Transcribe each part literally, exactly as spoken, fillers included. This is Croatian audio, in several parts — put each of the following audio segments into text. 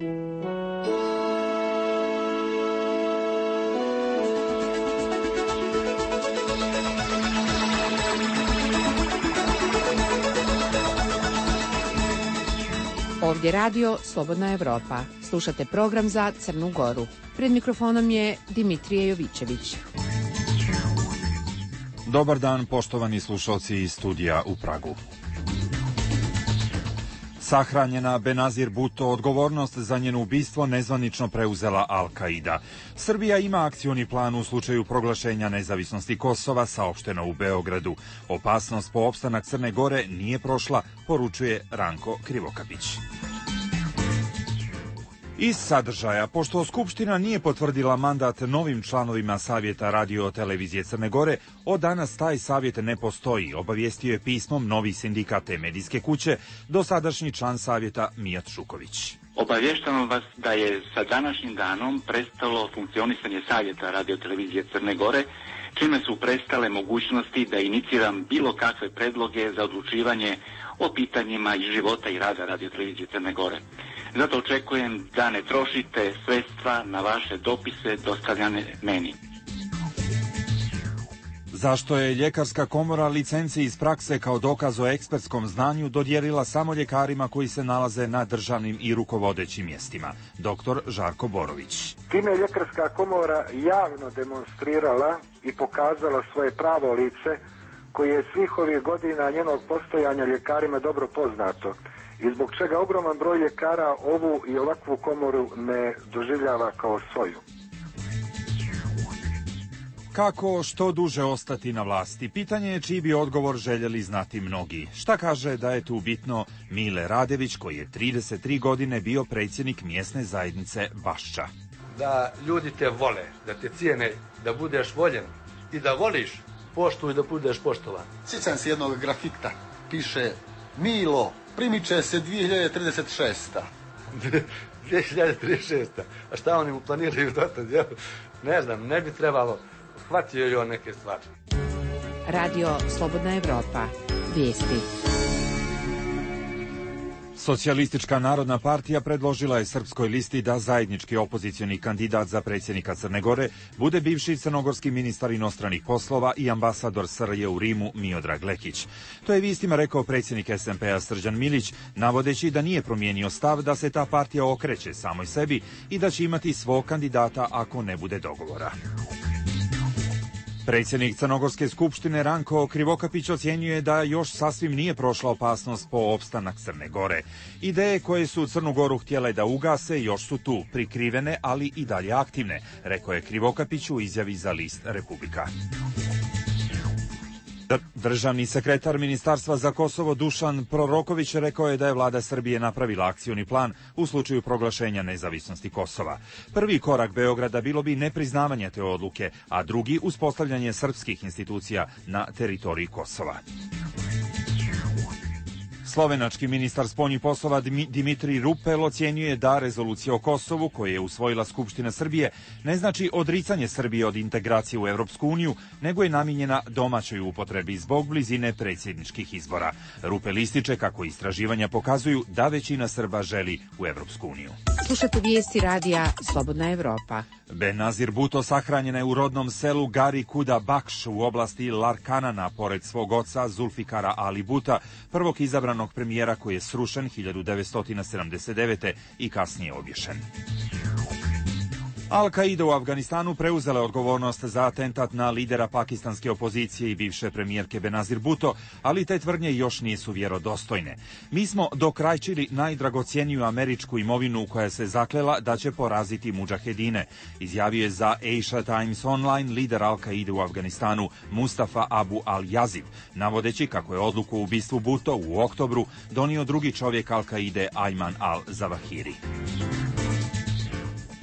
Ovdje radio Slobodna Evropa. Slušate program za Crnu Goru. Pred mikrofonom je Dimitrije Jovićević. Dobar dan, poštovani slušalci iz studija u Pragu. Sahranjena Benazir Bhutto, odgovornost za njeno ubistvo nezvanično preuzela Al-Qaida. Srbija ima akcioni plan u slučaju proglašenja nezavisnosti Kosova, saopšteno u Beogradu. Opasnost po opstanak Crne Gore nije prošla, poručuje Ranko Krivokapić. Iz sadržaja, pošto Skupština nije potvrdila mandat novim članovima Savjeta radio-televizije Crne Gore, od danas taj savjet ne postoji, obavijestio je pismom novi sindikat te medijske kuće, dosadašnji član savjeta Mijat Šuković. Obavještavam vas da je sa današnjim danom prestalo funkcionisanje Savjeta radio-televizije Crne Gore, čime su prestale mogućnosti da iniciram bilo kakve predloge za odlučivanje o pitanjima iz života i rada radio-televizije Crne Gore. Zato očekujem da ne trošite sredstva na vaše dopise dostavljane meni. Zašto je Ljekarska komora licenci iz prakse kao dokaz o ekspertskom znanju dodijelila samo ljekarima koji se nalaze na državnim i rukovodećim mjestima? Doktor Žarko Borović. Time je Ljekarska komora javno demonstrirala i pokazala svoje pravo lice, koje je svih ovih godina njenog postojanja ljekarima dobro poznato i zbog čega ogroman broj ljekara ovu i ovakvu komoru ne doživljava kao svoju. Kako što duže ostati na vlasti? Pitanje je čiji bi odgovor željeli znati mnogi. Šta kaže da je tu bitno Mile Radević, koji je trideset tri godine bio predsjednik mjesne zajednice Bašča. Da ljudi te vole, da te cijene, da budeš voljen i da voliš, poštuj da budeš poštovan. Sjećam se jednog grafita, piše Milo, primiče se dvije hiljade trideset šesta. dvije hiljade trideset šesta. A šta oni mu planiraju dotad? Ne znam, ne bi trebalo. Hvatio je on neke stvari. Radio Slobodna Evropa. Vijesti. Socijalistička narodna partija predložila je Srpskoj listi da zajednički opozicioni kandidat za predsjednika Crne Gore bude bivši crnogorski ministar inostranih poslova i ambasador S R J u Rimu Miodrag Lekić. To je vijestima rekao predsjednik S N P-a Srđan Milić, navodeći da nije promijenio stav da se ta partija okreće samoj sebi i da će imati svog kandidata ako ne bude dogovora. Predsjednik Crnogorske skupštine Ranko Krivokapić ocjenjuje da još sasvim nije prošla opasnost po opstanak Crne Gore. Ideje koje su Crnu Goru htjele da ugase još su tu, prikrivene, ali i dalje aktivne, rekao je Krivokapić u izjavi za list Republika. Državni sekretar Ministarstva za Kosovo Dušan Proroković rekao je da je vlada Srbije napravila akcioni plan u slučaju proglašenja nezavisnosti Kosova. Prvi korak Beograda bilo bi nepriznavanje te odluke, a drugi uspostavljanje srpskih institucija na teritoriji Kosova. Slovenački ministar spoljnih poslova Dimitrij Rupel ocjenjuje da rezolucija o Kosovu, koju je usvojila Skupština Srbije, ne znači odricanje Srbije od integracije u Evropsku uniju, nego je namijenjena domaćoj upotrebi zbog blizine predsjedničkih izbora. Rupel ističe kako istraživanja pokazuju da većina Srba želi u Evropsku uniju. Slušate vijesti radija Slobodna Evropa. Benazir Bhutto sahranjena je u rodnom selu Gari Kuda Bakš u oblasti Larkanana, pored svog oca Zulfikara Ali Bhutta, prvog izabranog premijera koji je srušen hiljadu devetsto sedamdeset devete i kasnije obješen. Al-Qaida u Afganistanu preuzela je odgovornost za atentat na lidera pakistanske opozicije i bivše premijerke Benazir Bhutto, ali te tvrdnje još nisu vjerodostojne. Mi smo dokrajčili najdragocjeniju američku imovinu koja se zaklela da će poraziti mudžahedine, izjavio je za Asia Times Online lider Al-Qaide u Afganistanu Mustafa Abu Al-Yazid, navodeći kako je odluku o ubistvu Bhutto u oktobru donio drugi čovjek Al-Qaide Ayman Al-Zawahiri.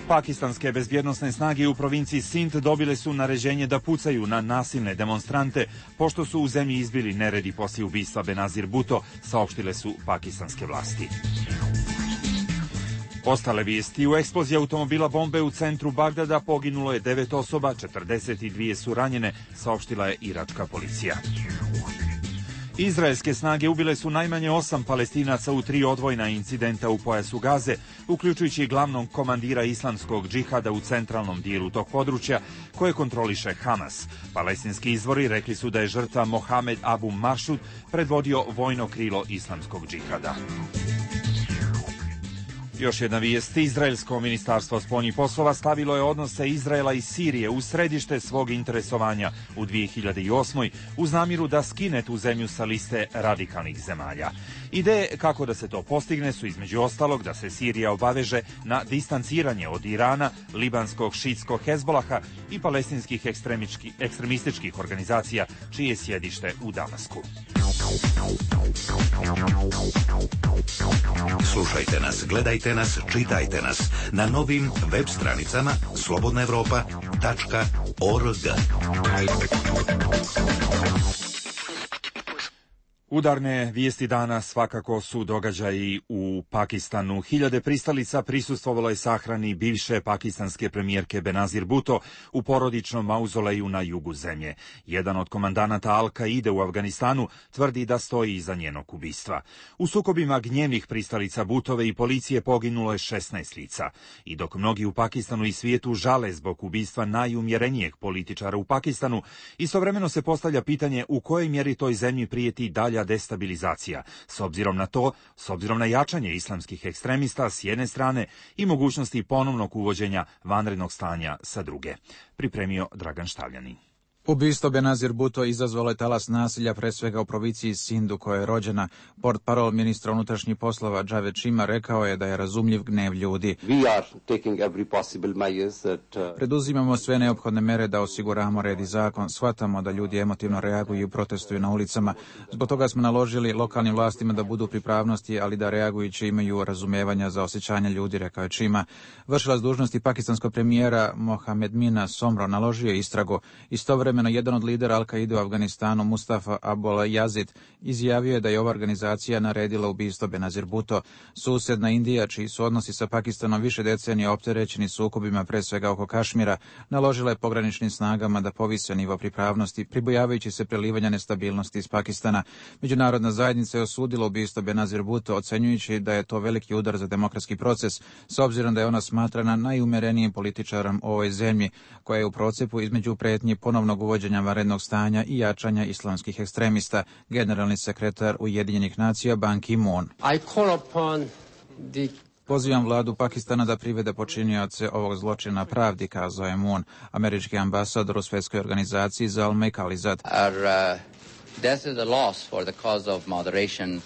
Pakistanske bezbjednosne snage u provinciji Sindh dobile su naređenje da pucaju na nasilne demonstrante, pošto su u zemlji izbili neredi poslije ubistva Benazir Bhutto, saopštile su pakistanske vlasti. Ostale vijesti: u eksploziji automobila bombe u centru Bagdada poginulo je devet osoba, četrdeset dvije su ranjene, saopštila je iračka policija. Izraelske snage ubile su najmanje osam Palestinaca u tri odvojna incidenta u pojasu Gaze, uključujući glavnog komandira islamskog džihada u centralnom dijelu tog područja, koje kontroliše Hamas. Palestinski izvori rekli su da je žrtva Mohamed Abu Maršud predvodio vojno krilo islamskog džihada. Još jedna vijest. Izraelsko ministarstvo spoljnih poslova stavilo je odnose Izraela i Sirije u središte svog interesovanja u dvije hiljade osmoj uz namjeru da skine tu zemlju sa liste radikalnih zemalja. Ideje kako da se to postigne su između ostalog da se Sirija obaveže na distanciranje od Irana, libanskog šitskog Hezbolaha i palestinskih ekstremističkih organizacija čije je sjedište u Damasku. Slušajte nas, gledajte nas, čitajte nas na novim web stranicama slobodna evropa tačka org. Udarne vijesti dana svakako su događaji u Pakistanu. Hiljade pristalica prisustvovalo je sahrani bivše pakistanske premijerke Benazir Bhutto u porodičnom mauzoleju na jugu zemlje. Jedan od komandanata Al-Kaide u Afganistanu tvrdi da stoji iza njenog ubistva. U sukobima gnjevnih pristalica Bhuttove i policije poginulo je šesnaest lica. I dok mnogi u Pakistanu i svijetu žale zbog ubistva najumjerenijeg političara u Pakistanu, istovremeno se postavlja pitanje u kojoj mjeri toj zemlji prijeti dalja destabilizacija, s obzirom na to, s obzirom na jačanje islamskih ekstremista s jedne strane i mogućnosti ponovnog uvođenja vanrednog stanja sa druge. Pripremio Dragan Štavljani. Ubistvo Benazir Bhutto izazvalo je talas nasilja, pre svega u provinciji Sindu, koja je rođena. Portparol ministra unutrašnjih poslova Javed Shima rekao je da je razumljiv gnev ljudi. Preduzimamo sve neophodne mere da osiguramo red i zakon. Shvatamo da ljudi emotivno reaguju i protestuju na ulicama. Zbog toga smo naložili lokalnim vlastima da budu pripravnosti, ali da reagujući imaju razumijevanja za osjećanje ljudi, rekao je Shima. Vršilac dužnosti pakistanskog premijera Mohamed Mina Somro naložio je istragu. Istovremeno jedan od lidera Al-Kaide u Afganistanu, Mustafa Abul Yazid, izjavio je da je ova organizacija naredila ubistvo Benazir Bhutto. Susjedna Indija, čiji su odnosi sa Pakistanom više decenija opterećeni sukobima, pre svega oko Kašmira, naložila je pograničnim snagama da povise nivo pripravnosti, pribojavajući se prelivanja nestabilnosti iz Pakistana. Međunarodna zajednica je osudila ubistvo Benazir Bhutto, ocenjujući da je to veliki udar za demokratski proces, s obzirom da je ona smatrana najumerenijim političarom u ovoj zemlji, koja je u procepu između pretnji ponovnog uvođenja vanrednog stanja i jačanja islamskih ekstremista, generalni sekretar Ujedinjenih nacija Ban Ki-moon. The... Pozivam vladu Pakistana da privede počinioce ovog zločina pravdi, kazao je Moon. Američki ambasador u svjetskoj organizaciji Zalmay Khalilzad. Our uh, death is a loss for the cause of moderation.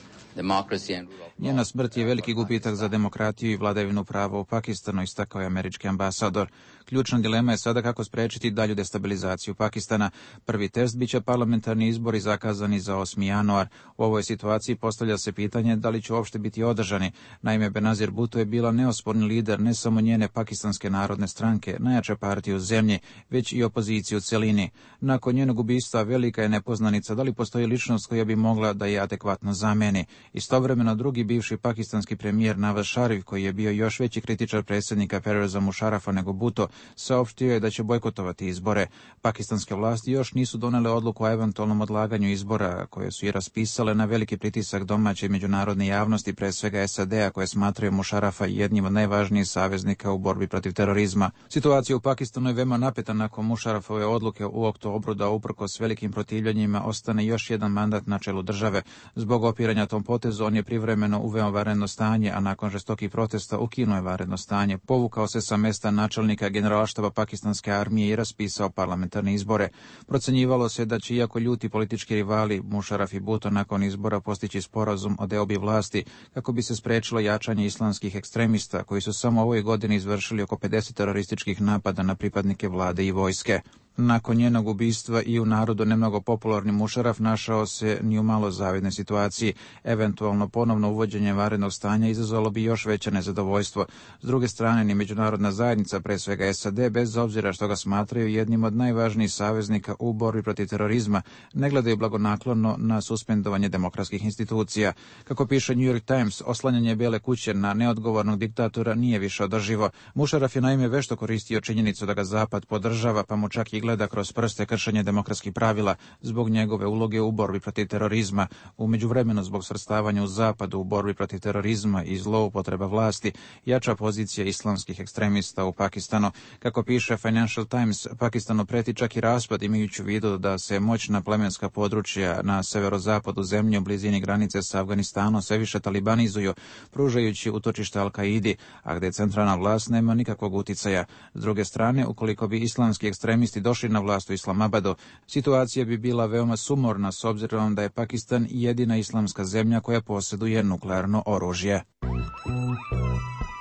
Njena smrt je veliki gubitak za demokratiju i vladavinu prava u Pakistanu, istakao je američki ambasador. Ključna dilema je sada kako spriječiti dalju destabilizaciju Pakistana. Prvi test biće parlamentarni izbori zakazani za osmi januar. U ovoj situaciji postavlja se pitanje da li će uopšte biti održani. Naime, Benazir Bhutto je bila neosporni lider ne samo njene pakistanske narodne stranke, najjače partije u zemlji, već i opoziciju u celini. Nakon njenog ubistva velika je nepoznanica da li postoji ličnost koja bi mogla da je adekvatno zameni. Istovremeno drugi bivši pakistanski premijer Nawaz Sharif, koji je bio još veći kritičar predsjednika Perveza Musharafa nego Bhutto, saopštio je da će bojkotovati izbore. Pakistanske vlasti još nisu donele odluku o eventualnom odlaganju izbora, koje su i raspisale na veliki pritisak domaće i međunarodne javnosti, pre svega S A D-a, koje smatraju Musharafa jednim od najvažnijih saveznika u borbi protiv terorizma. Situacija u Pakistanu je veoma napeta nakon Musharafove odluke u oktobru da uprkos velikim protivljenjima ostane još jedan mandat na čelu države. Zbog opiranja tom potezu on je privremeno uveo vanredno stanje, a nakon žestokih protesta ukinuo je vanredno stanje, povukao se sa mesta načelnika generalštaba pakistanske armije i raspisao parlamentarne izbore. Procenjivalo se da će, iako ljuti politički rivali Musharaf i Bhutto nakon izbora postići sporazum o deobi vlasti kako bi se sprečilo jačanje islamskih ekstremista koji su samo ovoj godini izvršili oko pedeset terorističkih napada na pripadnike vlade i vojske. Nakon njenog ubistva i u narodu nemnogo popularni Musharaf našao se ni u malo zavidnoj situaciji. Eventualno ponovno uvođenje vanrednog stanja izazvalo bi još veće nezadovoljstvo. S druge strane, ni međunarodna zajednica, pre svega S A D, bez obzira što ga smatraju jednim od najvažnijih saveznika u borbi protiv terorizma, ne gledaju blagonaklono na suspendovanje demokratskih institucija. Kako piše New York Times, oslanjanje Bijele kuće na neodgovornog diktatora nije više održivo. Musharaf je naime vešto koristio činjenicu da ga Zapad podržava, pa mu čak i gleda kroz prste kršenje demokratskih pravila zbog njegove uloge u borbi protiv terorizma. U međuvremenu zbog svrstavanja u zapadu u borbi protiv terorizma i zloupotreba vlasti jača pozicija islamskih ekstremista u Pakistanu. Kako piše Financial Times, Pakistanu preti čak i raspad imajući u vidu da se moćna plemenska područja na severozapadu zemlje u blizini granice sa Afganistanom sve više talibanizuju, pružajući utočište Al-Kaidi, a gde centralna vlast nema nikakvog uticaja. S druge strane, ukoliko bi islamski ekstremisti došli na vlast u Islamabadu, situacija bi bila veoma sumorna s obzirom da je Pakistan jedina islamska zemlja koja posjeduje nuklearno oružje.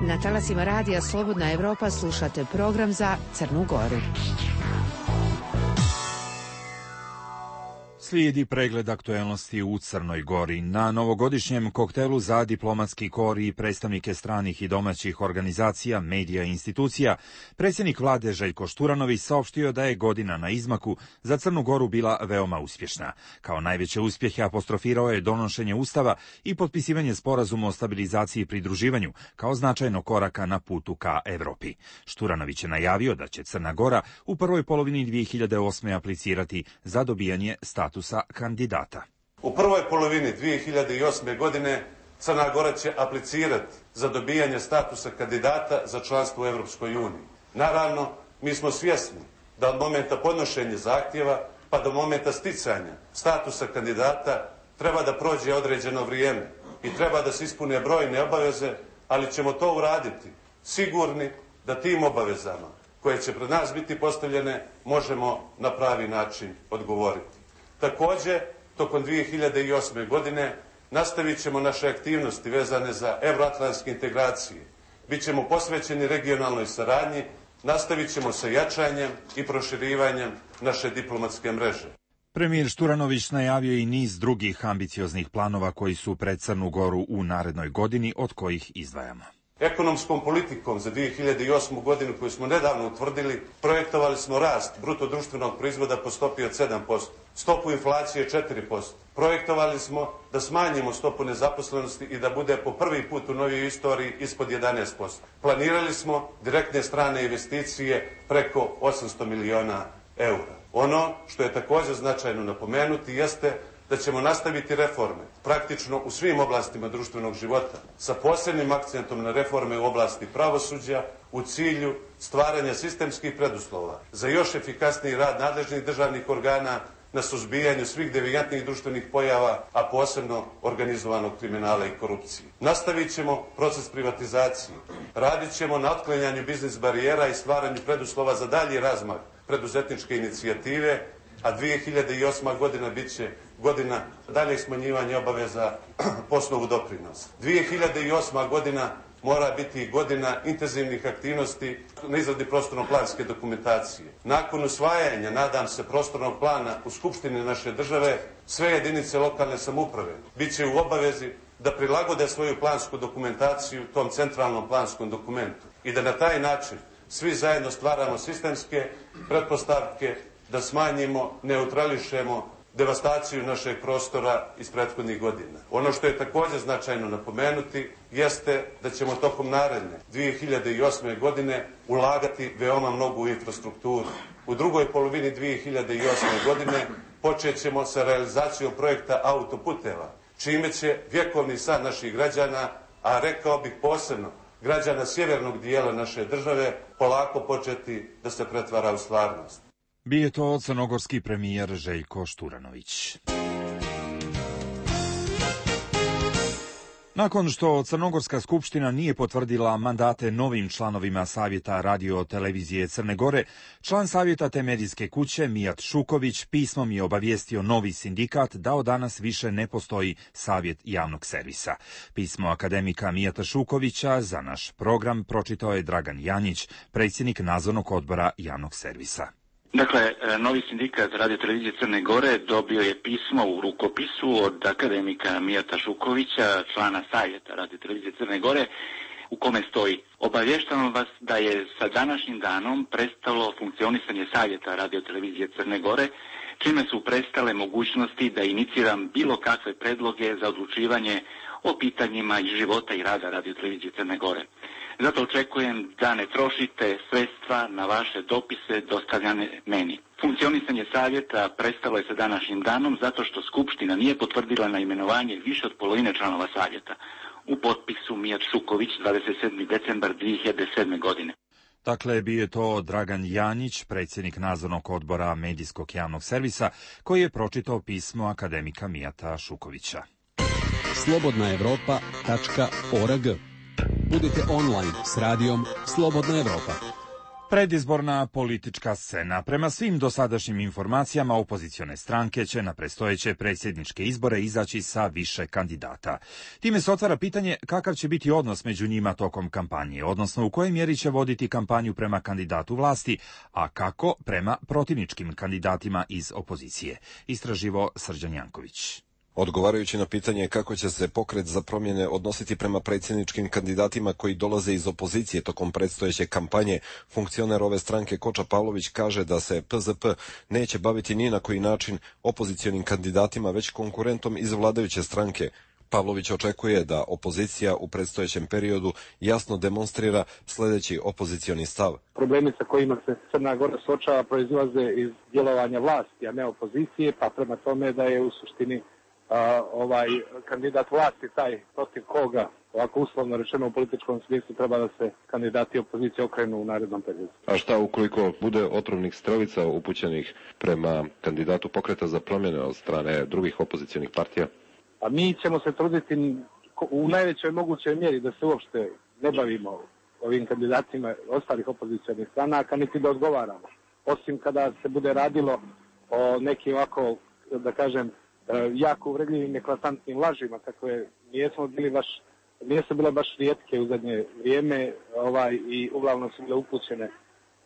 Na talasima radija Slobodna Evropa slušate program za Crnu Goru. Slijedi pregled aktuelnosti u Crnoj Gori. Na novogodišnjem koktelu za diplomatski kor i predstavnike stranih i domaćih organizacija, medija i institucija, predsjednik vlade Željko Šturanović saopštio da je godina na izmaku za Crnu Goru bila veoma uspješna. Kao najveće uspjehe apostrofirao je donošenje Ustava i potpisivanje sporazuma o stabilizaciji i pridruživanju kao značajno koraka na putu ka Evropi. Šturanović je najavio da će Crna Gora u prvoj polovini dvije hiljade osme aplicirati za dobijanje statusa kandidata. U prvoj polovini dvije hiljade osme. godine Crna Gora će aplicirati za dobijanje statusa kandidata za članstvo u Europskoj uniji. Naravno, mi smo svjesni da od momenta podnošenja zahtjeva pa do momenta sticanja statusa kandidata treba da prođe određeno vrijeme i treba da se ispune brojne obaveze, ali ćemo to uraditi sigurni da tim obavezama koje će pred nas biti postavljene možemo na pravi način odgovoriti. Također, tokom dvije hiljade osme. godine nastavit ćemo naše aktivnosti vezane za euroatlantske integracije. Bićemo posvećeni regionalnoj saradnji, nastavit ćemo sa jačanjem i proširivanjem naše diplomatske mreže. Premijer Šturanović najavio i niz drugih ambicioznih planova koji su pred Crnu Goru u narednoj godini, od kojih izdvajamo. Ekonomskom politikom za dvije hiljade osmu. godinu koju smo nedavno utvrdili, projektovali smo rast bruto društvenog proizvoda po stopi od sedam posto, stopu inflacije četiri posto. Projektovali smo da smanjimo stopu nezaposlenosti i da bude po prvi put u novijoj istoriji ispod jedanaest posto. Planirali smo direktne strane investicije preko osamsto miliona eura. Ono što je također značajno napomenuti jeste da ćemo nastaviti reforme praktično u svim oblastima društvenog života, sa posebnim akcentom na reforme u oblasti pravosuđa u cilju stvaranja sistemskih preduslova za još efikasniji rad nadležnih državnih organa na suzbijanju svih devijantnih društvenih pojava, a posebno organizovanog kriminala i korupcije. Nastavit ćemo proces privatizacije, radit ćemo na otklanjanju biznis barijera i stvaranju preduslova za dalji razmah preduzetničke inicijative, a dvije hiljade osma. godina bit će godina daljeg smanjivanja obaveza po osnovu doprinosa. dvije hiljade osma. godina mora biti godina intenzivnih aktivnosti na izradi prostorno-planske dokumentacije. Nakon usvajanja, nadam se, prostornog plana u Skupštini naše države, sve jedinice lokalne samouprave bit će u obavezi da prilagode svoju plansku dokumentaciju tom centralnom planskom dokumentu i da na taj način svi zajedno stvaramo sistemske pretpostavke da smanjimo, neutrališemo devastaciju našeg prostora iz prethodnih godina. Ono što je također značajno napomenuti jeste da ćemo tokom naredne dvije hiljade osme. godine ulagati veoma mnogo u infrastrukturu. U drugoj polovini dvije hiljade osme. godine počet ćemo sa realizacijom projekta autoputeva, čime će vjekovni san naših građana, a rekao bih posebno građana sjevernog dijela naše države, polako početi da se pretvara u stvarnost. Bio je to crnogorski premijer Željko Šturanović. Nakon što Crnogorska skupština nije potvrdila mandate novim članovima Savjeta radio-televizije Crne Gore, član Savjeta te medijske kuće Mijat Šuković pismom je obavijestio novi sindikat da od danas više ne postoji Savjet javnog servisa. Pismo akademika Mijata Šukovića za naš program pročitao je Dragan Janjić, predsjednik nadzornog odbora javnog servisa. Dakle, novi sindikat radiotelevizije Crne Gore dobio je pismo u rukopisu od akademika Mijata Šukovića, člana Savjeta radiotelevizije Crne Gore, u kome stoji: obavještavam vas da je sa današnjim danom prestalo funkcionisanje Savjeta radiotelevizije Crne Gore, čime su prestale mogućnosti da iniciram bilo kakve predloge za odlučivanje o pitanjima iz života i rada radiotelevizije Crne Gore. Zato očekujem da ne trošite sredstva na vaše dopise dostavljane meni. Funkcionisanje savjeta prestalo je sa današnjim danom zato što Skupština nije potvrdila naimenovanje više od polovine članova savjeta. U potpisu Mijat Šuković, dvadeset sedmi decembar dvije hiljade sedme. godine. Dakle, bio je to Dragan Janjić, predsjednik nadzornog odbora medijskog javnog servisa, koji je pročitao pismo akademika Mijata Šukovića. slobodna evropa tačka org. Budite online s radijom Slobodna Evropa. Predizborna politička scena. Prema svim dosadašnjim informacijama, opozicione stranke će na predstojeće predsjedničke izbore izaći sa više kandidata. Time se otvara pitanje kakav će biti odnos među njima tokom kampanje, odnosno u kojoj mjeri će voditi kampanju prema kandidatu vlasti, a kako prema protivničkim kandidatima iz opozicije. Istraživo Srđan Janković. Odgovarajući na pitanje kako će se pokret za promjene odnositi prema predsjedničkim kandidatima koji dolaze iz opozicije tokom predstojeće kampanje, funkcioner ove stranke Koča Pavlović kaže da se P Z P neće baviti ni na koji način opozicionim kandidatima, već konkurentom iz vladajuće stranke. Pavlović očekuje da opozicija u predstojećem periodu jasno demonstrira sljedeći opozicioni stav. Problemi sa kojima se Crna Gora suočava proizilaze iz djelovanja vlasti, a ne opozicije, pa prema tome da je u suštini Uh, ovaj kandidat vlasti taj protiv koga, ovako uslovno rečeno u političkom smislu, treba da se kandidati opozicije okrenu u narednom periodu. A šta ukoliko bude otrovnih strelica upućenih prema kandidatu pokreta za promjene od strane drugih opozicionih partija? A mi ćemo se truditi u najvećoj mogućoj mjeri da se uopšte ne bavimo ovim kandidatima ostalih opozicionih stranaka, niti da odgovaramo. Osim kada se bude radilo o nekim ovako, da kažem, jako uvredljivim, eklatantnim lažima, kakve nijesmo bili baš, nijesu bile baš rijetke u zadnje vrijeme, ovaj, i uglavnom su bile upućene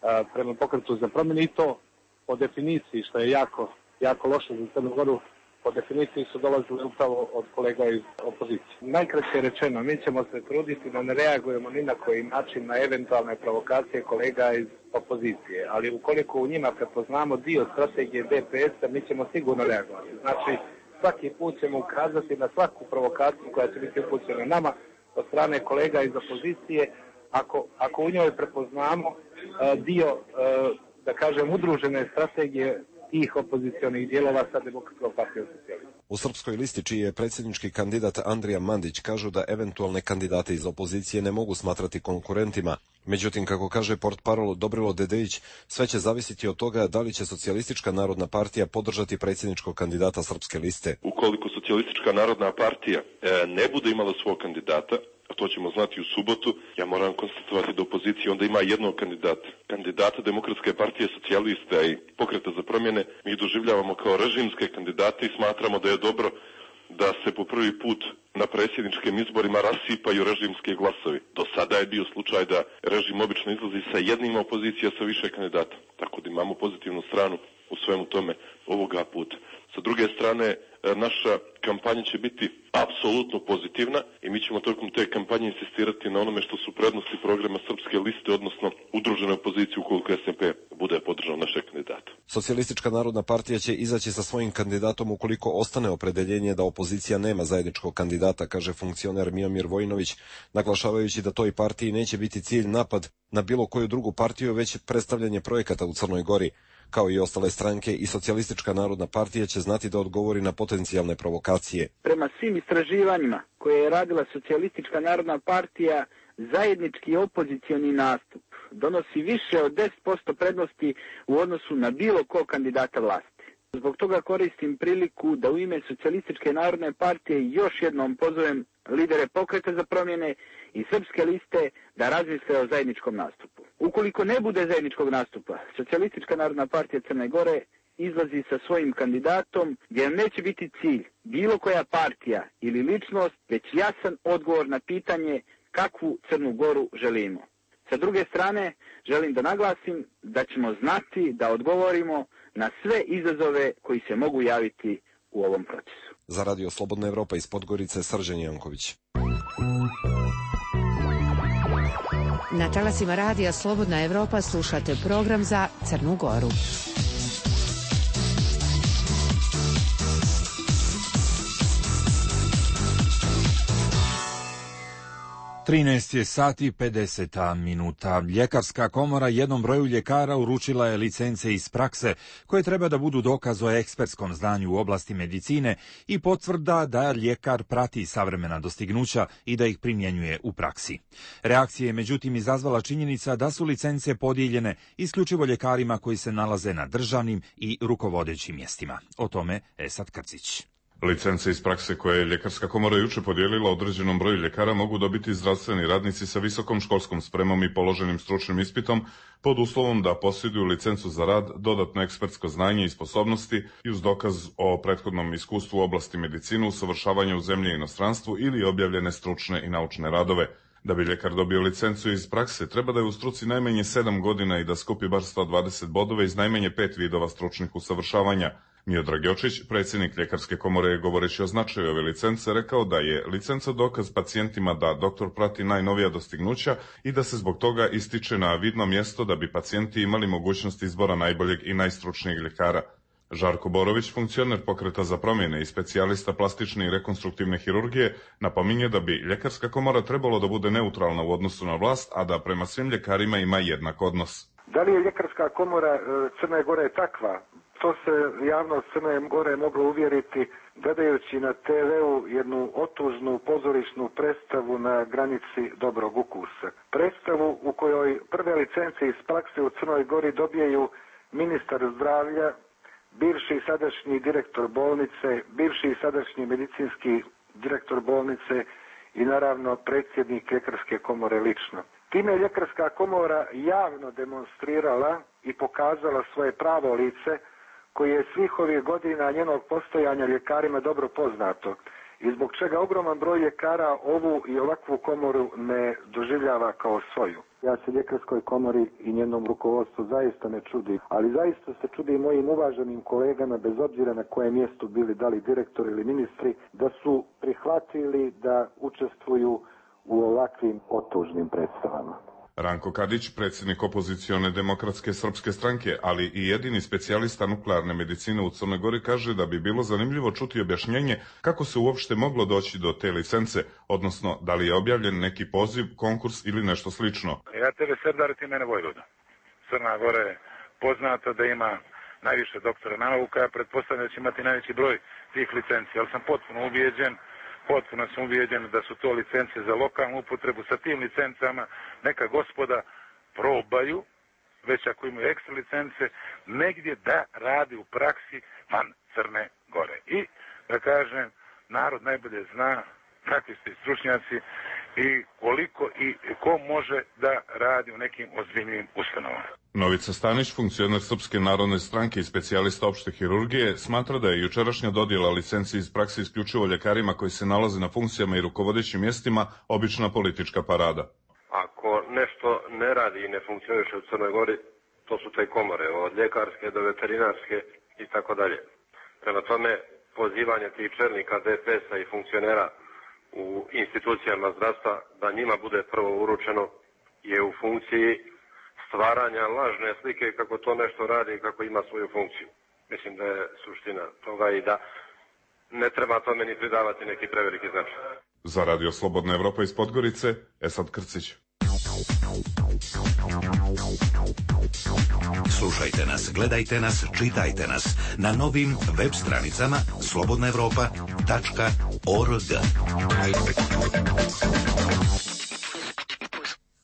a, prema pokretu za promjene, i to po definiciji, što je jako, jako loše za Crnu Goru, po definiciji su dolazile upravo od kolega iz opozicije. Najkraće rečeno, mi ćemo se truditi da ne reagujemo ni na koji način na eventualne provokacije kolega iz opozicije, ali ukoliko u njima prepoznamo dio strategije D P S-a, mi ćemo sigurno reagovati. Znači, svaki put ćemo ukazati na svaku provokaciju koja će biti upućena nama od strane kolega iz opozicije, ako, ako u njoj prepoznamo uh, dio, uh, da kažem, udružene strategije tih opozicionih dijelova sa Demokratskom partijom socijalista. U Srpskoj listi, čiji je predsjednički kandidat Andrija Mandić, kažu da eventualne kandidate iz opozicije ne mogu smatrati konkurentima. Međutim, kako kaže portparol Dobrilo Dedejić, sve će zavisiti od toga da li će Socijalistička narodna partija podržati predsjedničkog kandidata Srpske liste. Ukoliko Socijalistička narodna partija e, ne bude imala svog kandidata, a to ćemo znati u subotu, ja moram konstatovati da opozicija onda ima jednog kandidata. Kandidata Demokratske partije socijalista i pokreta za promjene mi doživljavamo kao režimske kandidate i smatramo da je dobro da se po prvi put na predsjedničkim izborima rasipaju režimski glasovi. Do sada je bio slučaj da režim obično izlazi sa jednim, opozicija sa više kandidata. Tako da imamo pozitivnu stranu u svemu tome ovoga puta. Sa druge strane, naša kampanja će biti apsolutno pozitivna i mi ćemo tokom te kampanje insistirati na onome što su prednosti programa Srpske liste, odnosno udružene opozicije ukoliko S N P bude podržao naše kandidate. Socijalistička narodna partija će izaći sa svojim kandidatom ukoliko ostane opredeljenje da opozicija nema zajedničkog kandidata, kaže funkcioner Miomir Vojinović, naglašavajući da toj partiji neće biti cilj napad na bilo koju drugu partiju, već predstavljanje projekata u Crnoj Gori. Kao i ostale stranke, i Socijalistička narodna partija će znati da odgovori na potencijalne provokacije. Prema svim istraživanjima koje je radila Socijalistička narodna partija, zajednički opozicioni nastup donosi više od deset posto prednosti u odnosu na bilo kog kandidata vlasti. Zbog toga koristim priliku da u ime Socijalističke narodne partije još jednom pozovem lidere pokreta za promjene i Srpske liste da razmisle o zajedničkom nastupu. Ukoliko ne bude zajedničkog nastupa, Socijalistička narodna partija Crne Gore izlazi sa svojim kandidatom, jer neće biti cilj bilo koja partija ili ličnost, već jasan odgovor na pitanje kakvu Crnu Goru želimo. Sa druge strane, želim da naglasim da ćemo znati da odgovorimo na sve izazove koji se mogu javiti u ovom procesu. Za Radio Slobodna Evropa iz Podgorice, Srđan Janković. Na talasima Radija Slobodna Evropa slušate program za Crnu Goru. trinaest je sati pedeset minuta. Ljekarska komora jednom broju ljekara uručila je licence iz prakse koje treba da budu dokaz o ekspertskom znanju u oblasti medicine i potvrda da ljekar prati savremena dostignuća i da ih primjenjuje u praksi. Reakcija je međutim izazvala činjenica da su licence podijeljene isključivo ljekarima koji se nalaze na državnim i rukovodećim mjestima. O tome Esad Krcić. Licence iz prakse koje je Ljekarska komora juče podijelila određenom broju ljekara mogu dobiti zdravstveni radnici sa visokom školskom spremom i položenim stručnim ispitom pod uslovom da posjeduju licencu za rad, dodatno ekspertsko znanje i sposobnosti i uz dokaz o prethodnom iskustvu u oblasti medicine, usavršavanja u zemlji i inostranstvu ili objavljene stručne i naučne radove. Da bi ljekar dobio licencu iz prakse, treba da je u struci najmanje sedam godina i da skupi bar sto dvadeset bodova iz najmanje pet vidova stručnih usavršavanja. Miodrag Jočić, predsjednik Ljekarske komore, je govoreći o značaju ove licence, rekao da je licenca dokaz pacijentima da doktor prati najnovija dostignuća i da se zbog toga ističe na vidno mjesto da bi pacijenti imali mogućnost izbora najboljeg i najstručnijeg ljekara. Žarko Borović, funkcioner Pokreta za promjene i specijalista plastične i rekonstruktivne hirurgije, napominje da bi Ljekarska komora trebalo da bude neutralna u odnosu na vlast, a da prema svim ljekarima ima jednak odnos. Da li je Ljekarska komora Crne Gore takva? To se javnost Crne Gore moglo uvjeriti gledajući na te veu jednu otužnu pozorišnu predstavu na granici dobrog ukusa. Predstavu u kojoj prve licence iz prakse u Crnoj Gori dobijaju ministar zdravlja, bivši i sadašnji direktor bolnice, bivši i sadašnji medicinski direktor bolnice i naravno predsjednik Ljekarske komore lično. Time je Ljekarska komora javno demonstrirala i pokazala svoje pravo lice koje je svih ovih godina njenog postojanja ljekarima dobro poznato i zbog čega ogroman broj ljekara ovu i ovakvu komoru ne doživljava kao svoju. Ja se Ljekarskoj komori i njenom rukovodstvu zaista ne čudim, ali zaista se čudim mojim uvaženim kolegama, bez obzira na kojem mjestu bili, da li direktori ili ministri, da su prihvatili da učestvuju u ovakvim otužnim predstavama. Ranko Kadić, predsjednik opozicione demokratske srpske stranke, ali i jedini specijalista nuklearne medicine u Crnoj Gori, kaže da bi bilo zanimljivo čuti objašnjenje kako se uopšte moglo doći do te licence, odnosno da li je objavljen neki poziv, konkurs ili nešto slično. Ja tebe Serdar, ti mene Vojvoda. Crna Gora je poznata da ima najviše doktora nauka, ja pretpostavljam da će imati najveći broj tih licenci, ali sam potpuno ubijeđen Potpuno sam ubijeđen da su to licence za lokalnu upotrebu. Sa tim licencama neka gospoda probaju, već ako imaju ekstra licence, negdje da radi u praksi van Crne Gore. I, da kažem, narod najbolje zna kakvi ste stručnjaci i koliko i ko može da radi u nekim ozbiljnim ustanovama. Novica Stanić, funkcioner Srpske narodne stranke i specijalista opšte hirurgije, smatra da je jučerašnja dodjela licenci iz prakse isključivo ljekarima koji se nalaze na funkcijama i rukovodećim mjestima obična politička parada. Ako nešto ne radi i ne funkcioniše u Crnoj Gori, to su te komore, od ljekarske do veterinarske i tako dalje. Prema tome, pozivanje tih čelnika D P S-a i funkcionera u institucijama zdravstva da njima bude prvo uručeno je u funkciji stvaranja lažne slike kako to nešto radi i kako ima svoju funkciju. Mislim da je suština toga i da ne treba tome ni pridavati neki preveliki značaj. Za Radio Slobodna Evropa iz Podgorice, Esad Krcić. Slušajte nas, gledajte nas, čitajte nas na novim web stranicama slobodna evropa tačka org.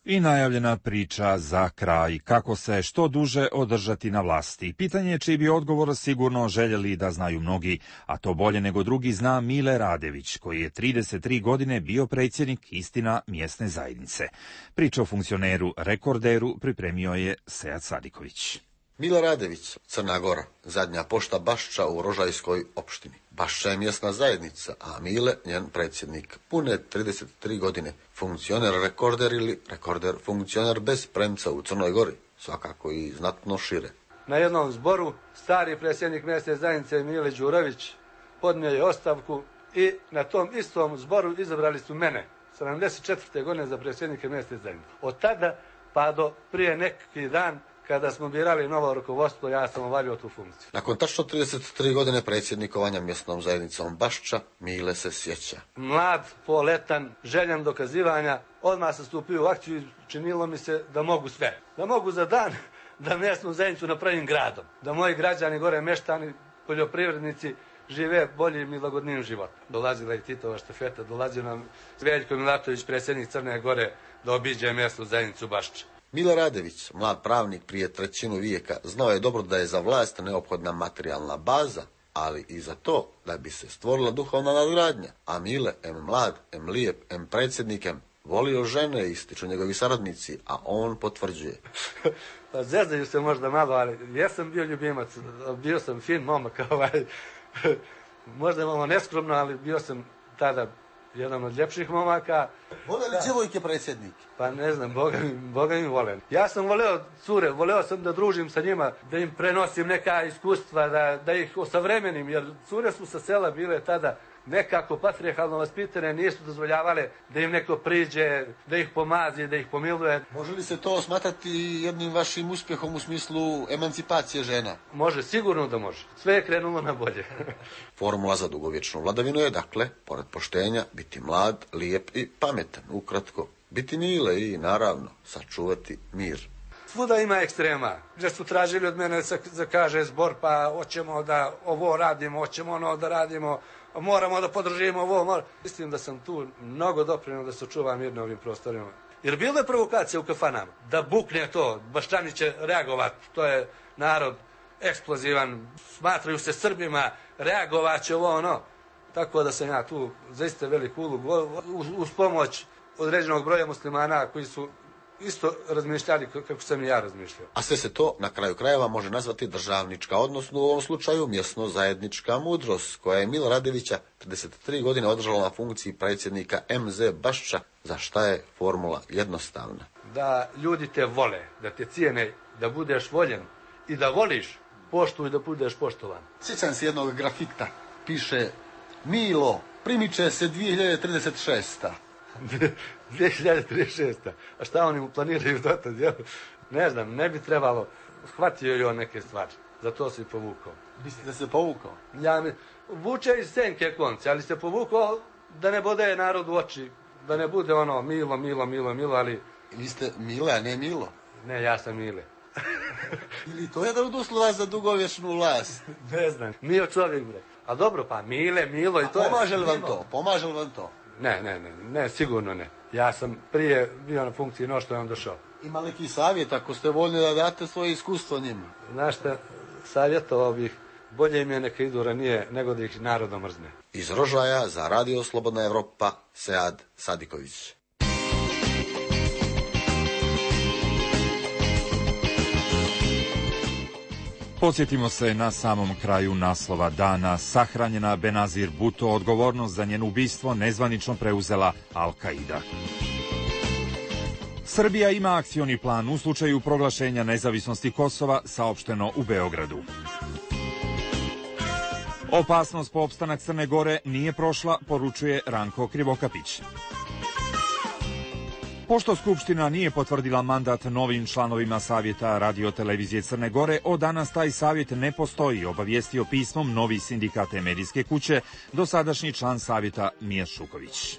I najavljena priča za kraj, kako se što duže održati na vlasti. Pitanje je čiji bi odgovor sigurno željeli da znaju mnogi, a to bolje nego drugi zna Mile Radević, koji je trideset tri godine bio predsjednik Istina mjesne zajednice. Priča o funkcioneru Rekorderu pripremio je Sead Sadiković. Mile Radević, Crna Gora, zadnja pošta Bašča u Rožajskoj opštini. Bašča je mjesna zajednica, a Mile njen predsjednik. Pune trideset tri godine. Funkcioner Rekorder ili Rekorder funkcioner bez premca u Crnoj Gori. Svakako i znatno šire. Na jednom zboru stari predsjednik mjesne zajednice Mile Đurović podnio je ostavku i na tom istom zboru izabrali su mene, sedamdeset četvrte godine za predsjednike mjesne zajednice. Od tada pa do prije neki dan, kada smo birali novo rukovodstvo, ja sam obavio tu funkciju. Nakon tačno trideset tri godine predsjednikovanja mjesnom zajednicom Bašča, Mile se sjeća. Mlad, poletan, željan dokazivanja, odmah sam stupio u akciju i činilo mi se da mogu sve. Da mogu za dan da mjesnu zajednicu napravim gradom. Da moji građani, gore meštani, poljoprivrednici, žive boljim i lagodnijim životom. Dolazila i Titova štafeta, dolazio nam Veljko Milatović, predsjednik Crne Gore, da obiđe mjesnu zajednicu Bašča. Mile Radević, mlad pravnik prije trećinu vijeka, znao je dobro da je za vlast neophodna materijalna baza, ali i za to da bi se stvorila duhovna nadgradnja. A Mile, em mlad, em lijep, em predsjednik, em volio žene, ističu njegovi saradnici, a on potvrđuje. Pa zezaju se možda malo, ali jesam bio ljubimac, bio sam fin momak, ovaj, možda malo neskromno, ali bio sam tada jedan od ljepših momaka. Vole li djevojke predsjednik? Pa ne znam, Boga mi, Boga mi volim. Ja sam voleo cure, voleo sam da družim sa njima, da im prenosim neka iskustva, da, da ih osavremenim, jer cure su sa sela bile tada nekako patrijarhalno vaspitane, nisu dozvoljavale da im neko priđe, da ih pomazi, da ih pomiluje. Može li se to smatrati jednim vašim uspjehom u smislu emancipacije žena? Može, sigurno da može. Sve je krenulo na bolje. Formula za dugovječnu vladavinu je, dakle, pored poštenja, biti mlad, lijep i pametan. Ukratko, biti Mile i, naravno, sačuvati mir. Svuda ima ekstrema, gdje su tražili od mene da kaže zbor, pa hoćemo da ovo radimo, hoćemo ono da radimo, moramo da podržimo ovo. Mora. Mislim da sam tu mnogo doprinio da se čuva mir na ovim prostorima. Jer bilo je provokacija u kafanama, da bukne to, Baščani će reagovati, to je narod eksplozivan, smatraju se Srbima, reagovat će ovo ono. Tako da sam ja tu zaista veliku ulogu, uz pomoć određenog broja muslimana koji su isto razmišljali kako sam i ja razmišljao. A sve se to na kraju krajeva može nazvati državnička, odnosno u ovom slučaju mjesno zajednička mudrost, koja je Mila Radevića trideset tri godine održala na funkciji predsjednika em ze Bašča, za šta je formula jednostavna. Da ljudi te vole, da te cijene, da budeš voljen i da voliš, poštuj da budeš poštovan. Sjećam se jednog grafita, piše Milo, primiče se dvije hiljade trideset šesta. dvije hiljade trideset šesta. A šta oni mu planiraju dotad? Ne znam, ne bi trebalo. Shvatio je on neke stvari. Zato se i povukao. Mislite da se povukao? Ja mi, vuče iz senke konce, ali se povukao da ne bude narod u oči. Da ne bude ono Milo, Milo, Milo, Milo, ali... Vi ste Mile, a ne Milo? Ne, ja sam Mile. Ili to je jedan od uslova za dugovječnu vlast? Ne znam, Mio čovjek bre. A dobro, pa Mile, Milo i to je... Pomaže li vam to? Pomaže li vam to? Ne, ne, ne, ne, sigurno ne. Ja sam prije bio na funkciji no što je on došao. Ima neki savjet ako ste voljni da date svoje iskustvo njima? Znaš šta, savjetovao bih, bolje im je neka idu ranije nego da ih narodno mrzne. Iz Rožaja za Radio Slobodna Evropa, Sead Sadiković. Podsjetimo se na samom kraju naslova dana. Sahranjena Benazir Bhutto, odgovornost za njeno ubistvo nezvanično preuzela Al-Qaida. Srbija ima akcioni plan u slučaju proglašenja nezavisnosti Kosova, saopšteno u Beogradu. Opasnost po opstanak Crne Gore nije prošla, poručuje Ranko Krivokapić. Pošto Skupština nije potvrdila mandat novim članovima Savjeta Radio-televizije Crne Gore, od danas taj savjet ne postoji, obavijestio pismom novi sindikat medijske kuće, dosadašnji član Savjeta Mijat Šuković.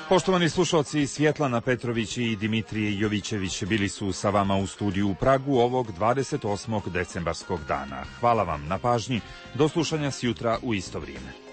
Poštovani slušalci, Svjetlana Petrović i Dimitrije Jovićević bili su sa vama u studiju u Pragu ovog dvadeset osmog decembarskog dana. Hvala vam na pažnji, do slušanja sjutra u isto vrijeme.